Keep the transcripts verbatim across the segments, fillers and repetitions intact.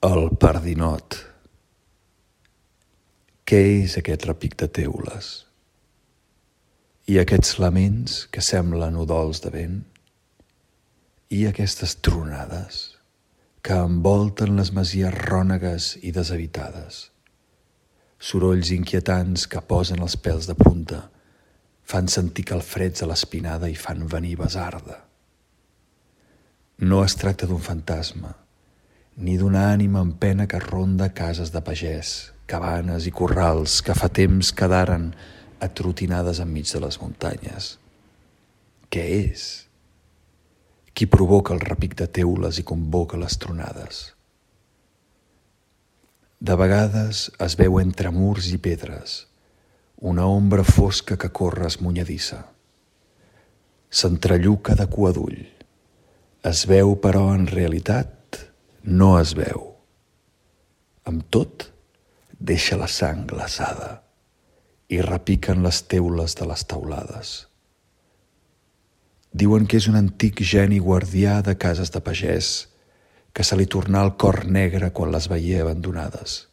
El pardinot. Què és aquest repic de teules? I aquests laments que semblen udols de vent? I aquestes tronades que envolten les masies rònegues i deshabitades? Sorolls inquietants que posen els pèls de punta, fan sentir calfreds a l'espinada i fan venir basarda. No es tracta d'un fantasma, ni d'una ànima en pena que ronda cases de pagès, cabanes i corrals que fa temps quedaren atrotinades enmig de les muntanyes. Què és? Qui provoca el repic de teules i convoca les tronades? De vegades es veu entre murs i pedres una ombra fosca que corre esmunyadissa. S'entrelluca de cua d'ull. Es veu, però, en realitat, no es veu. Amb tot, deixa la sang glaçada i repiquen les teules de les teulades. Diuen que és un antic geni guardià de cases de pagès que se li tornà el cor negre quan les veié abandonades.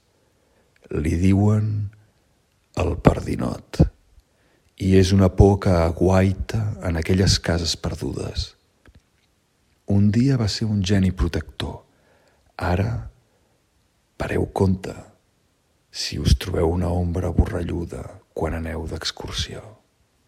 Li diuen el pardinot, i és una por que aguaita en aquelles cases perdudes. Un dia va ser un geni protector. Ara, pareu compte si us trobeu una ombra borralluda quan aneu d'excursió.